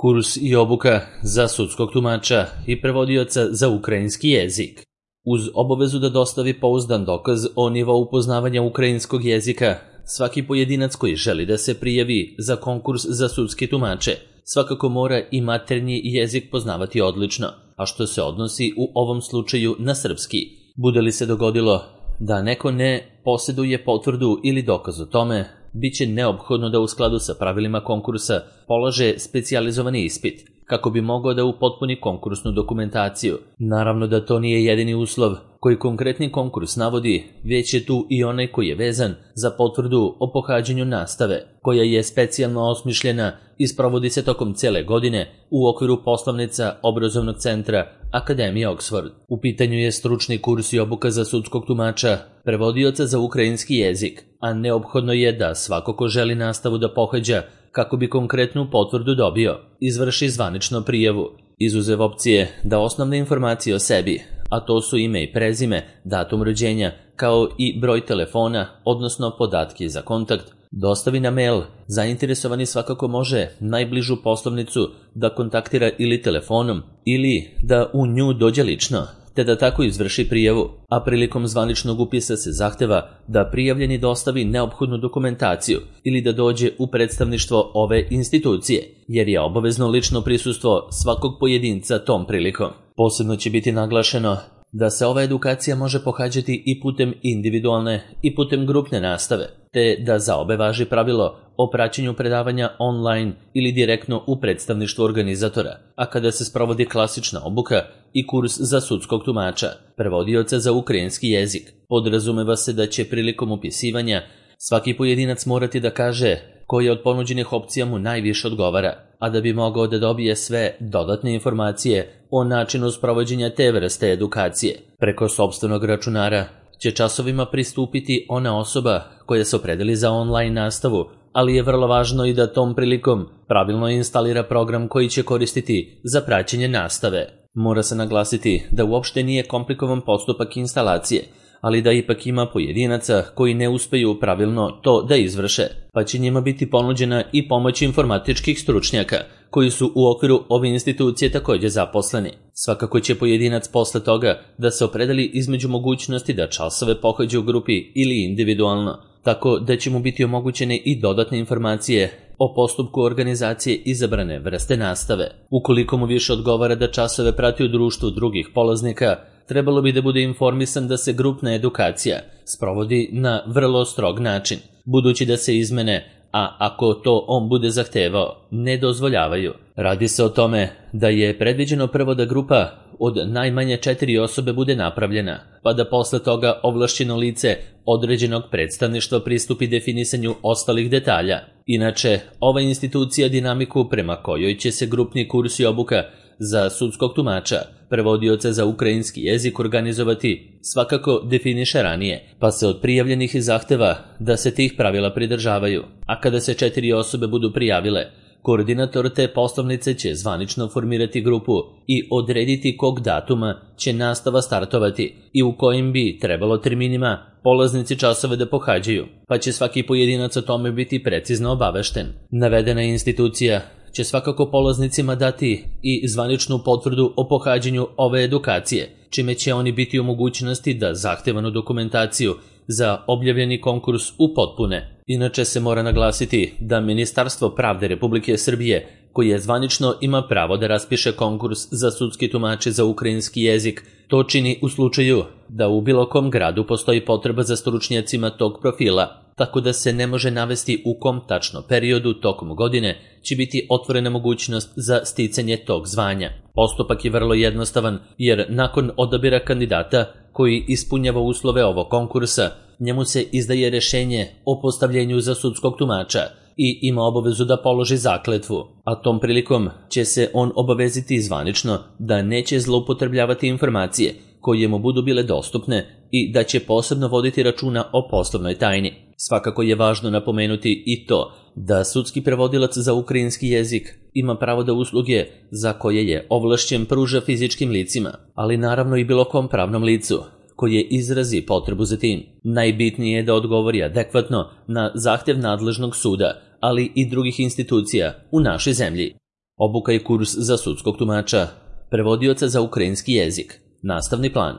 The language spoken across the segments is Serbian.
Kurs i obuka za sudskog tumača i prevodioca za ukrajinski jezik. Uz obavezu da dostavi pouzdan dokaz o nivou poznavanja ukrajinskog jezika, svaki pojedinac koji želi da se prijavi za konkurs za sudske tumače svakako mora i maternji jezik poznavati odlično, a što se odnosi u ovom slučaju na srpski. Bude li se dogodilo da neko ne posjeduje potvrdu ili dokaz o tome, bit će neophodno da u skladu sa pravilima konkursa polaže specijalizovani ispit, kako bi mogao da upotpuni konkursnu dokumentaciju. Naravno da to nije jedini uslov koji konkretni konkurs navodi, već je tu i onaj koji je vezan za potvrdu o pohađanju nastave, koja je specijalno osmišljena i sprovodi se tokom cele godine u okviru poslovnica obrazovnog centra Akademije Oxford. U pitanju je stručni kurs i obuka za sudskog tumača, prevodioca za ukrajinski jezik, a neophodno je da svako ko želi nastavu da pohađa kako bi konkretnu potvrdu dobio, izvrši zvanično prijavu, izuzev opcije da osnovne informacije o sebi, a to su ime i prezime, datum rođenja, kao i broj telefona, odnosno podatke za kontakt, dostavi na mail. Zainteresovani svakako može najbližu poslovnicu da kontaktira ili telefonom ili da u nju dođe lično, te da tako izvrši prijavu, a prilikom zvaničnog upisa se zahteva da prijavljeni dostavi neophodnu dokumentaciju ili da dođe u predstavništvo ove institucije, jer je obavezno lično prisustvo svakog pojedinca tom prilikom. Posebno će biti naglašeno da se ova edukacija može pohađati i putem individualne i putem grupne nastave, te da za obe važi pravilo o praćenju predavanja online ili direktno u predstavništvu organizatora, a kada se sprovodi klasična obuka i kurs za sudskog tumača, prevodioca za ukrajinski jezik, podrazumeva se da će prilikom upisivanja svaki pojedinac morati da kaže koja od ponuđenih opcija mu najviše odgovara, a da bi mogao da dobije sve dodatne informacije o načinu sprovođenja te vrste edukacije. Preko sopstvenog računara će časovima pristupiti ona osoba koja se opredeli za online nastavu, ali je vrlo važno i da tom prilikom pravilno instalira program koji će koristiti za praćenje nastave. Mora se naglasiti da uopšte nije komplikovan postupak instalacije, ali da ipak ima pojedinaca koji ne uspeju pravilno to da izvrše, pa će njima biti ponuđena i pomoć informatičkih stručnjaka, koji su u okviru ove institucije također zaposleni. Svakako će pojedinac posle toga da se opredeli između mogućnosti da časove pohađa u grupi ili individualno, tako da će mu biti omogućene i dodatne informacije o postupku organizacije izabrane vrste nastave. Ukoliko mu više odgovara da časove prati u društvu drugih polaznika, trebalo bi da bude informisan da se grupna edukacija sprovodi na vrlo strog način, budući da se izmene, a ako to on bude zahtevao, ne dozvoljavaju. Radi se o tome da je predviđeno prvo da grupa od najmanje 4 osobe bude napravljena, pa da posle toga ovlašćeno lice određenog predstavništva pristupi definisanju ostalih detalja. Inače, ova institucija dinamiku prema kojoj će se grupni kurs i obuka za sudskog tumača, prevodioca za ukrajinski jezik organizovati, svakako definiše ranije, pa se od prijavljenih zahteva da se tih pravila pridržavaju, a kada se 4 osobe budu prijavile, koordinator te poslovnice će zvanično formirati grupu i odrediti kog datuma će nastava startovati i u kojim bi trebalo terminima polaznici časove da pohađaju, pa će svaki pojedinac o tome biti precizno obavešten. Navedena institucija će svakako polaznicima dati i zvaničnu potvrdu o pohađanju ove edukacije, čime će oni biti u mogućnosti da zahtevanu dokumentaciju za objavljeni konkurs upotpune. Inače se mora naglasiti da Ministarstvo pravde Republike Srbije, koje zvanično ima pravo da raspiše konkurs za sudski tumače za ukrajinski jezik, to čini u slučaju da u bilo kom gradu postoji potreba za stručnjacima tog profila, tako da se ne može navesti u kom tačno periodu tokom godine će biti otvorena mogućnost za sticanje tog zvanja. Postupak je vrlo jednostavan, jer nakon odabira kandidata koji ispunjava uslove ovog konkursa, njemu se izdaje rešenje o postavljenju za sudskog tumača i ima obavezu da položi zakletvu, a tom prilikom će se on obaveziti zvanično da neće zloupotrebljavati informacije koje mu budu bile dostupne i da će posebno voditi računa o poslovnoj tajni. Svakako je važno napomenuti i to da sudski prevodilac za ukrajinski jezik ima pravo da usluge za koje je ovlašćen pruža fizičkim licima, ali naravno i bilo kom pravnom licu koje izrazi potrebu za tim. Najbitnije je da odgovori adekvatno na zahtev nadležnog suda, ali i drugih institucija u našoj zemlji. Obuka i kurs za sudskog tumača, prevodioca za ukrajinski jezik, nastavni plan.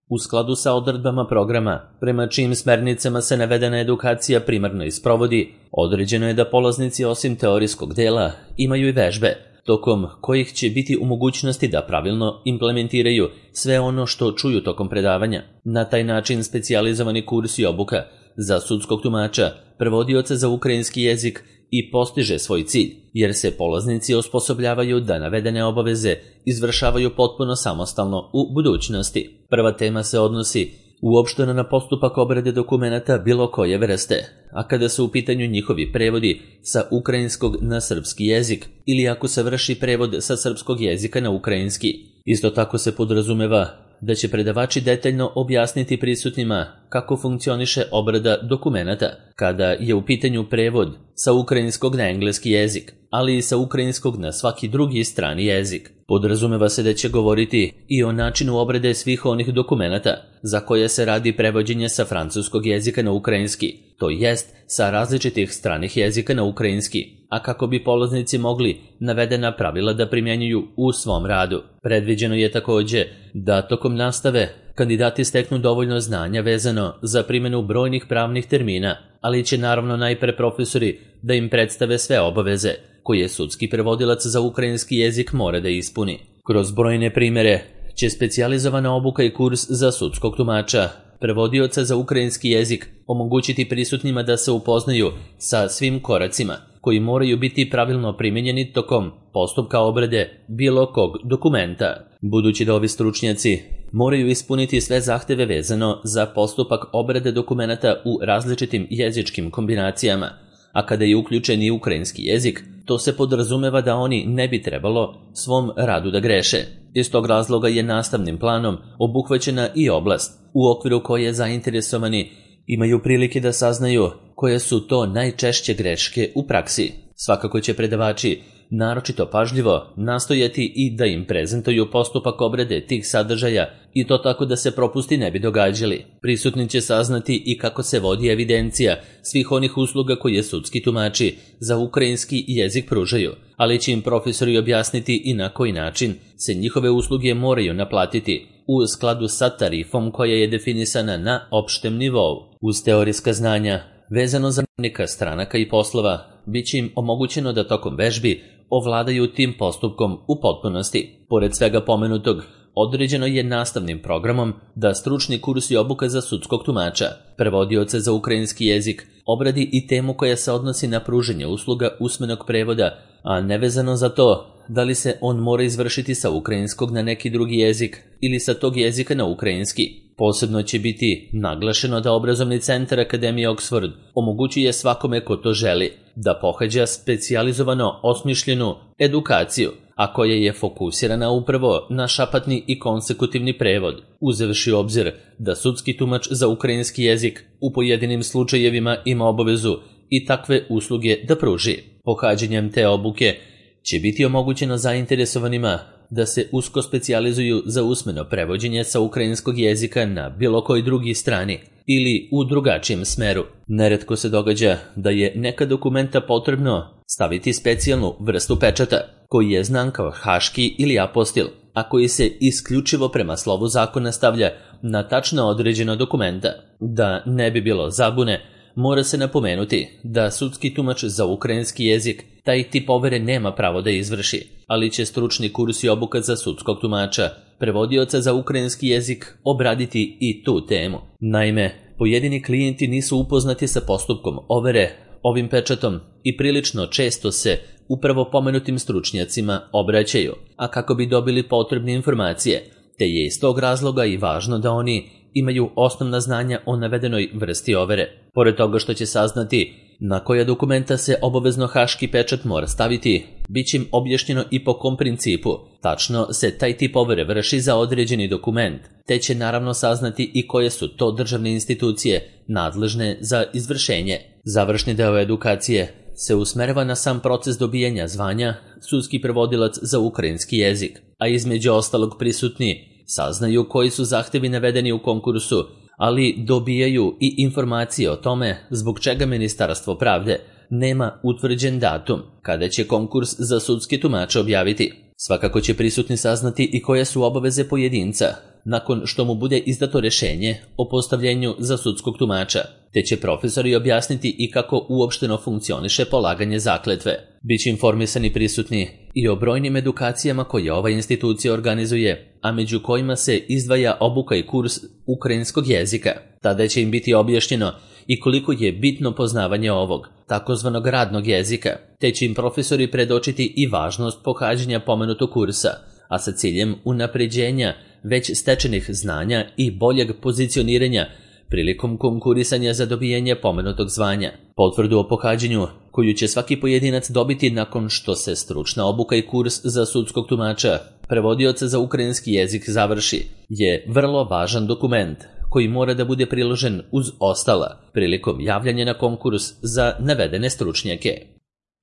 U skladu sa odredbama programa, prema čijim smernicama se navedena edukacija primarno isprovodi, određeno je da polaznici osim teorijskog dela imaju i vežbe, tokom kojih će biti u mogućnosti da pravilno implementiraju sve ono što čuju tokom predavanja. Na taj način specijalizovani kurs i obuka za sudskog tumača, prevodioca za ukrajinski jezik i postiže svoj cilj, jer se polaznici osposobljavaju da navedene obaveze izvršavaju potpuno samostalno u budućnosti. Prva tema se odnosi uopšteno na postupak obrade dokumenata bilo koje vrste, a kada su u pitanju njihovi prevodi sa ukrajinskog na srpski jezik ili ako se vrši prevod sa srpskog jezika na ukrajinski. Isto tako se podrazumeva da će predavači detaljno objasniti prisutnima kako funkcioniše obrada dokumenata kada je u pitanju prevod sa ukrajinskog na engleski jezik, ali i sa ukrajinskog na svaki drugi strani jezik. Podrazumeva se da će govoriti i o načinu obrade svih onih dokumenata za koje se radi prevođenje sa francuskog jezika na ukrajinski, to jest sa različitih stranih jezika na ukrajinski, a kako bi polaznici mogli navedena pravila da primjenjuju u svom radu. Predviđeno je takođe da tokom nastave kandidati steknu dovoljno znanja vezano za primjenu brojnih pravnih termina, ali će naravno najpre profesori da im predstave sve obaveze koje sudski prevodilac za ukrajinski jezik mora da ispuni. Kroz brojne primere će specijalizovana obuka i kurs za sudskog tumača, prevodioca za ukrajinski jezik, omogućiti prisutnima da se upoznaju sa svim koracima koji moraju biti pravilno primjenjeni tokom postupka obrade bilo kog dokumenta. Budući da ovi stručnjaci moraju ispuniti sve zahteve vezano za postupak obrade dokumenata u različitim jezičkim kombinacijama, a kada je uključen i ukrajinski jezik, to se podrazumeva da oni ne bi trebalo svom radu da greše. Iz tog razloga je nastavnim planom obuhvaćena i oblast u okviru koje zainteresovani imaju prilike da saznaju koje su to najčešće greške u praksi. Svakako će predavači naročito pažljivo nastojati i da im prezentuju postupak obrade tih sadržaja i to tako da se propusti ne bi događali. Prisutni će saznati i kako se vodi evidencija svih onih usluga koje sudski tumači za ukrajinski jezik pružaju, ali će im profesori objasniti i na koji način se njihove usluge moraju naplatiti u skladu sa tarifom koja je definisana na opštem nivou. Uz teorijska znanja vezano za neka stranaka i poslova, bit će im omogućeno da tokom vežbi ovladaju tim postupkom u potpunosti. Pored svega pomenutog, određeno je nastavnim programom da stručni kurs i obuka za sudskog tumača, prevodioca za ukrajinski jezik, obradi i temu koja se odnosi na pruženje usluga usmenog prevoda, a nevezano za to da li se on mora izvršiti sa ukrajinskog na neki drugi jezik ili sa tog jezika na ukrajinski. Posebno će biti naglašeno da obrazovni centar Akademije Oxford omogućuje svakome ko to želi da pohađa specijalizovano osmišljenu edukaciju, a koja je fokusirana upravo na šapatni i konsekutivni prevod, uzevši u obzir da sudski tumač za ukrajinski jezik u pojedinim slučajevima ima obavezu i takve usluge da pruži. Pohađanjem te obuke će biti omogućeno zainteresovanima da se usko specijalizuju za usmeno prevođenje sa ukrajinskog jezika na bilo koji drugi strani ili u drugačijem smeru. Neretko se događa da je neka dokumenta potrebno staviti specijalnu vrstu pečata, koji je znan kao haški ili apostil, a koji se isključivo prema slovu zakona stavlja na tačno određeno dokumenta. Da ne bi bilo zabune, mora se napomenuti da sudski tumač za ukrajinski jezik taj tip overe nema pravo da izvrši, ali će stručni kurs i obuka za sudskog tumača, prevodioca za ukrajinski jezik, obraditi i tu temu. Naime, pojedini klijenti nisu upoznati sa postupkom overe ovim pečatom i prilično često se upravo pomenutim stručnjacima obraćaju, a kako bi dobili potrebne informacije, te je iz tog razloga i važno da oni imaju osnovna znanja o navedenoj vrsti overe. Pored toga što će saznati na koja dokumenta se obavezno haški pečat mora staviti, bit će im objašnjeno i po kom principu tačno se taj tip overe vrši za određeni dokument, te će naravno saznati i koje su to državne institucije nadležne za izvršenje. Završni deo edukacije se usmerava na sam proces dobijanja zvanja sudski prevodilac za ukrajinski jezik, a između ostalog prisutni saznaju koji su zahtevi navedeni u konkursu, ali dobijaju i informacije o tome zbog čega Ministarstvo pravde nema utvrđen datum kada će konkurs za sudske tumače objaviti. Svakako će prisutni saznati i koje su obaveze pojedinca nakon što mu bude izdato rješenje o postavljenju za sudskog tumača, te će profesori objasniti i kako uopšteno funkcioniše polaganje zakletve. Biće informisani prisutni i o brojnim edukacijama koje ova institucija organizuje, a među kojima se izdvaja obuka i kurs ukrajinskog jezika. Tada će im biti objašnjeno i koliko je bitno poznavanje ovog, takozvanog radnog jezika, te će im profesori predočiti i važnost pohađanja pomenutog kursa, a sa ciljem unapređenja već stečenih znanja i boljeg pozicioniranja prilikom konkurisanja za dobijanje pomenutog zvanja. Potvrdu o pohađanju, koju će svaki pojedinac dobiti nakon što se stručna obuka i kurs za sudskog tumača, prevodioca za ukrajinski jezik završi, je vrlo važan dokument koji mora da bude priložen uz ostala prilikom javljanja na konkurs za navedene stručnjake.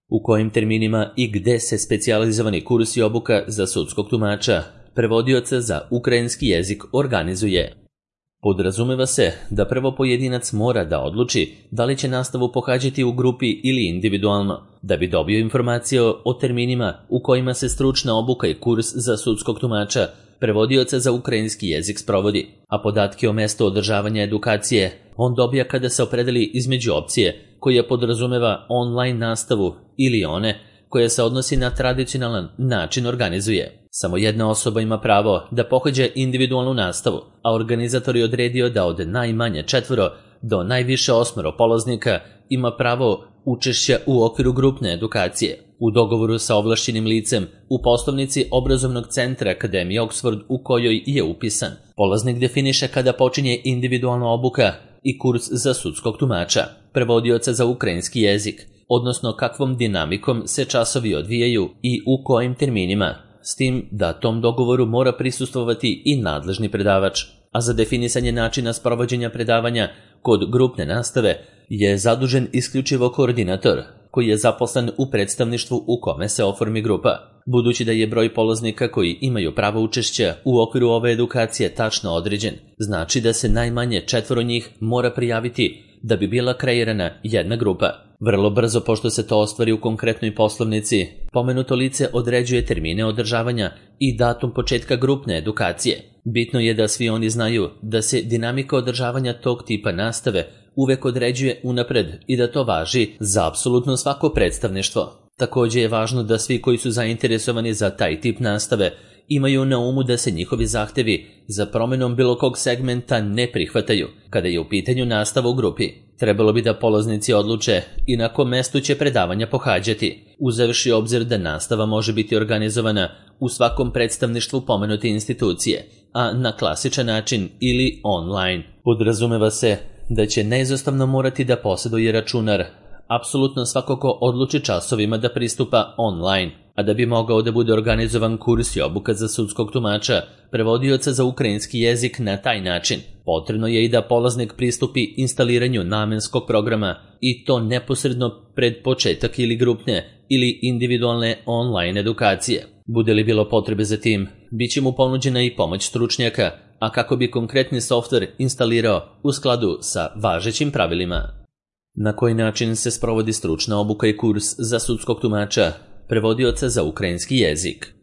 U kojim terminima i gde se specijalizovani kurs i obuka za sudskog tumača, prevodioca za ukrajinski jezik organizuje? Podrazumeva se da prvo pojedinac mora da odluči da li će nastavu pohađati u grupi ili individualno, da bi dobio informacije o terminima u kojima se stručna obuka i kurs za sudskog tumača prevodioca za ukrajinski jezik sprovodi, a podatke o mestu održavanja edukacije on dobija kada se opredeli između opcije koja podrazumeva online nastavu ili one koja se odnosi na tradicionalan način organizuje. Samo jedna osoba ima pravo da pohađa individualnu nastavu, a organizator je odredio da od najmanje 4 do najviše 8 polaznika ima pravo učešća u okviru grupne edukacije. U dogovoru sa ovlašćenim licem u poslovnici obrazovnog centra Akademije Oxford u kojoj je upisan, polaznik definiše kada počinje individualna obuka i kurs za sudskog tumača, prevodioca za ukrajinski jezik, odnosno kakvom dinamikom se časovi odvijaju i u kojim terminima, s tim da tom dogovoru mora prisustvovati i nadležni predavač, a za definisanje načina sprovođenja predavanja kod grupne nastave je zadužen isključivo koordinator, koji je zaposlen u predstavništvu u kome se oformi grupa. Budući da je broj polaznika koji imaju pravo učešća u okviru ove edukacije tačno određen, znači da se najmanje 4 njih mora prijaviti da bi bila kreirana jedna grupa. Vrlo brzo, pošto se to ostvari u konkretnoj poslovnici, pomenuto lice određuje termine održavanja i datum početka grupne edukacije. Bitno je da svi oni znaju da se dinamika održavanja tog tipa nastave uvek određuje unapred i da to važi za apsolutno svako predstavništvo. Također je važno da svi koji su zainteresovani za taj tip nastave imaju na umu da se njihovi zahtevi za promenom bilo kog segmenta ne prihvataju kada je u pitanju nastava u grupi. Trebalo bi da polaznici odluče i na kom mestu će predavanja pohađati, uzevši obzir da nastava može biti organizovana u svakom predstavništvu pomenute institucije, a na klasičan način ili online. Podrazumeva se da će neizostavno morati da posjeduje računar apsolutno svako ko odluči časovima da pristupa online, a da bi mogao da bude organizovan kurs i obuka za sudskog tumača, prevodioca za ukrajinski jezik na taj način, potrebno je i da polaznik pristupi instaliranju namenskog programa i to neposredno pred početak ili grupne ili individualne online edukacije. Bude li bilo potrebe za tim, bit će mu ponuđena i pomoć stručnjaka, a kako bi konkretni softver instalirao u skladu sa važećim pravilima. Na koji način se sprovodi stručna obuka i kurs za sudskog tumača, prevodioca za ukrajinski jezik?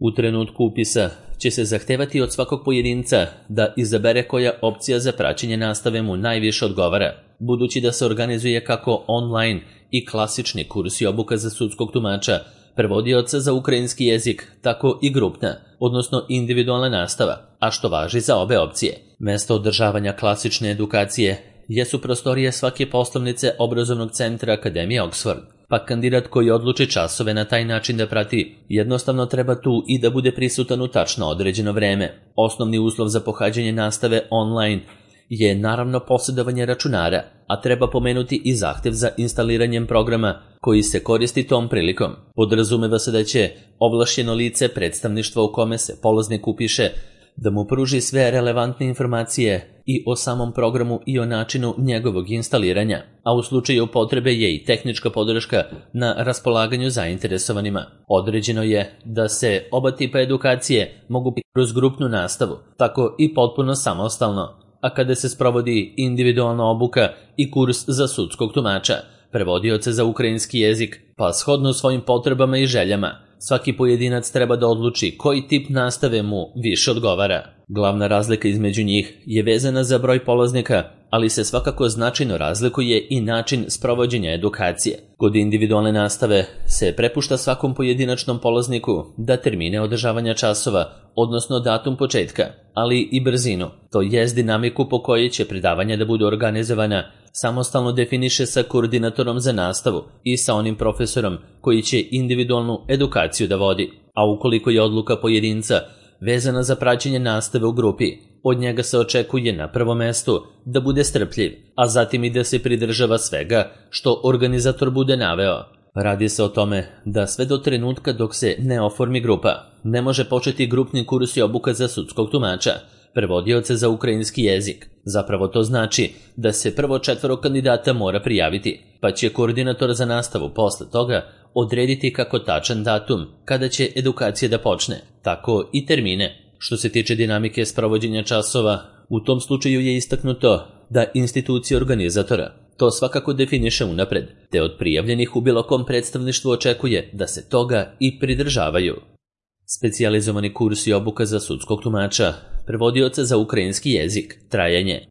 U trenutku upisa će se zahtevati od svakog pojedinca da izabere koja opcija za praćenje nastave mu najviše odgovara, budući da se organizuje kako online i klasični kurs i obuka za sudskog tumača, prevodioca za ukrajinski jezik, tako i grupna, odnosno individualna nastava, a što važi za obe opcije. Mesto održavanja klasične edukacije jesu prostorije svake poslovnice obrazovnog centra Akademije Oxford, pa kandidat koji odluči časove na taj način da prati, jednostavno treba tu i da bude prisutan u tačno određeno vreme. Osnovni uslov za pohađanje nastave online je naravno posjedovanje računara, a treba pomenuti i zahtev za instaliranjem programa koji se koristi tom prilikom. Podrazumeva se da će ovlašćeno lice predstavništva u kome se polaznik upiše da mu pruži sve relevantne informacije i o samom programu i o načinu njegovog instaliranja, a u slučaju potrebe je i tehnička podrška na raspolaganju zainteresovanima. Određeno je da se oba tipa edukacije mogu biti kroz grupnu nastavu, tako i potpuno samostalno, a kada se sprovodi individualna obuka i kurs za sudskog tumača, prevodioca za ukrajinski jezik, pa shodno svojim potrebama i željama. Svaki pojedinac treba da odluči koji tip nastave mu više odgovara. Glavna razlika između njih je vezana za broj polaznika, ali se svakako značajno razlikuje i način sprovođenja edukacije. Kod individualne nastave se prepušta svakom pojedinačnom polazniku da termine održavanja časova, odnosno datum početka, ali i brzinu, to jest dinamiku po kojoj će predavanja da budu organizovana, samostalno definiše sa koordinatorom za nastavu i sa onim profesorom koji će individualnu edukaciju da vodi. A ukoliko je odluka pojedinca vezana za praćenje nastave u grupi, od njega se očekuje na prvom mestu da bude strpljiv, a zatim i da se pridržava svega što organizator bude naveo. Radi se o tome da sve do trenutka dok se ne oformi grupa, ne može početi grupni kurs i obuka za sudskog tumača, prevodioca za ukrajinski jezik. Zapravo to znači da se prvo 4 kandidata mora prijaviti, pa će koordinator za nastavu posle toga odrediti kako tačan datum kada će edukacija da počne, tako i termine. Što se tiče dinamike sprovođenja časova, u tom slučaju je istaknuto da institucija organizatora to svakako definiše unapred, te od prijavljenih u bilo kom predstavništvu očekuje da se toga i pridržavaju. Specijalizovani kurs i obuka za sudskog tumača, prevodioca za ukrajinski jezik, trajanje.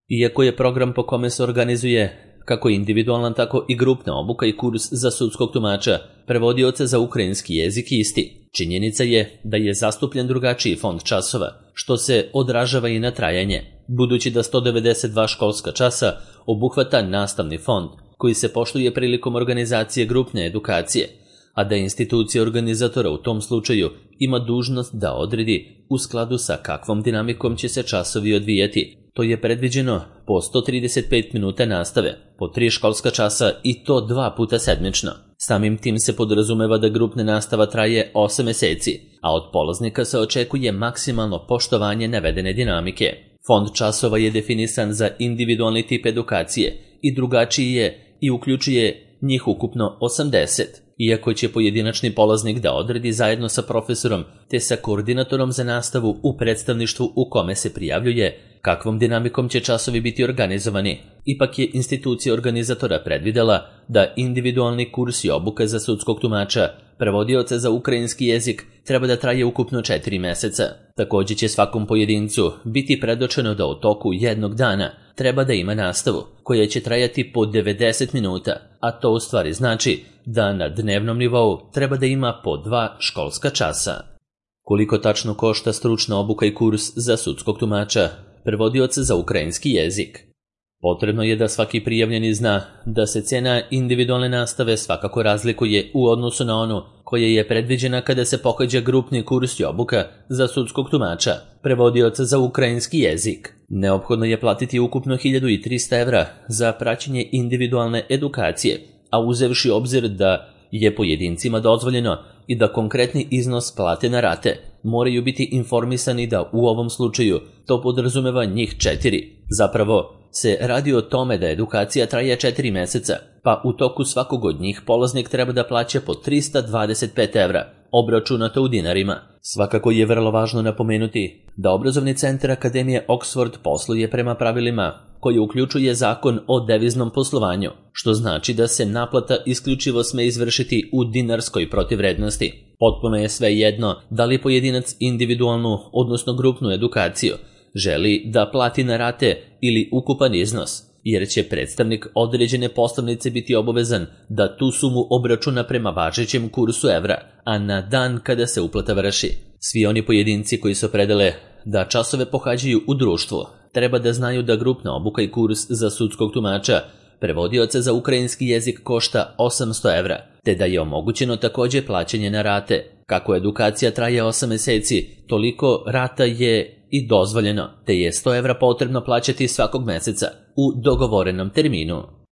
Iako je program po kome se organizuje kako individualna, tako i grupna obuka i kurs za sudskog tumača, prevodioca za ukrajinski jezik isti, činjenica je da je zastupljen drugačiji fond časova, što se odražava i na trajanje, budući da 192 školska časa obuhvata nastavni fond, koji se poštuje prilikom organizacije grupne edukacije, a da institucija organizatora u tom slučaju ima dužnost da odredi u skladu sa kakvom dinamikom će se časovi odvijati. To je predviđeno po 135 minuta nastave, po 3 školska časa i to 2 puta sedmično. Samim tim se podrazumeva da grupna nastava traje 8 meseci, a od polaznika se očekuje maksimalno poštovanje navedene dinamike. Fond časova je definisan za individualni tip edukacije i drugačiji je i uključuje njih ukupno 80. Iako će pojedinačni polaznik da odredi zajedno sa profesorom te sa koordinatorom za nastavu u predstavništvu u kome se prijavljuje, kakvom dinamikom će časovi biti organizovani, ipak je institucija organizatora predvidela da individualni kurs i obuka za sudskog tumača, prevodioca za ukrajinski jezik, treba da traje ukupno 4 meseca. Također će svakom pojedincu biti predočeno da u toku jednog dana treba da ima nastavu, koja će trajati po 90 minuta, a to u stvari znači da na dnevnom nivou treba da ima po 2 školska časa. Koliko tačno košta stručna obuka i kurs za sudskog tumača, prevodioca za ukrajinski jezik? Potrebno je da svaki prijavljeni zna da se cena individualne nastave svakako razlikuje u odnosu na onu koja je predviđena kada se pohađa grupni kurs i obuka za sudskog tumača, prevodioca za ukrajinski jezik. Neophodno je platiti ukupno 1300 evra za praćenje individualne edukacije, a uzevši obzir da je pojedincima dozvoljeno i da konkretni iznos plate na rate, moraju biti informisani da u ovom slučaju to podrazumeva njih 4. Zapravo se radi o tome da edukacija traje 4 meseca, pa u toku svakog od njih polaznik treba da plaća po 325 evra, obračunato u dinarima. Svakako je vrlo važno napomenuti da obrazovni centar Akademije Oxford posluje prema pravilima koji uključuje zakon o deviznom poslovanju, što znači da se naplata isključivo sme izvršiti u dinarskoj protivvrednosti. Potpuno je sve jedno da li pojedinac individualnu, odnosno grupnu edukaciju želi da plati na rate ili ukupan iznos, jer će predstavnik određene poslovnice biti obavezan da tu sumu obračuna prema važećem kursu evra, a na dan kada se uplata vrši. Svi oni pojedinci koji se opredele da časove pohađaju u društvu treba da znaju da grupna obuka i kurs za sudskog tumača, prevodioca za ukrajinski jezik košta 800 evra, te da je omogućeno također plaćanje na rate. Kako edukacija traje 8 meseci, toliko rata je i dozvoljeno, te je 100 evra potrebno plaćati svakog meseca u dogovorenom terminu.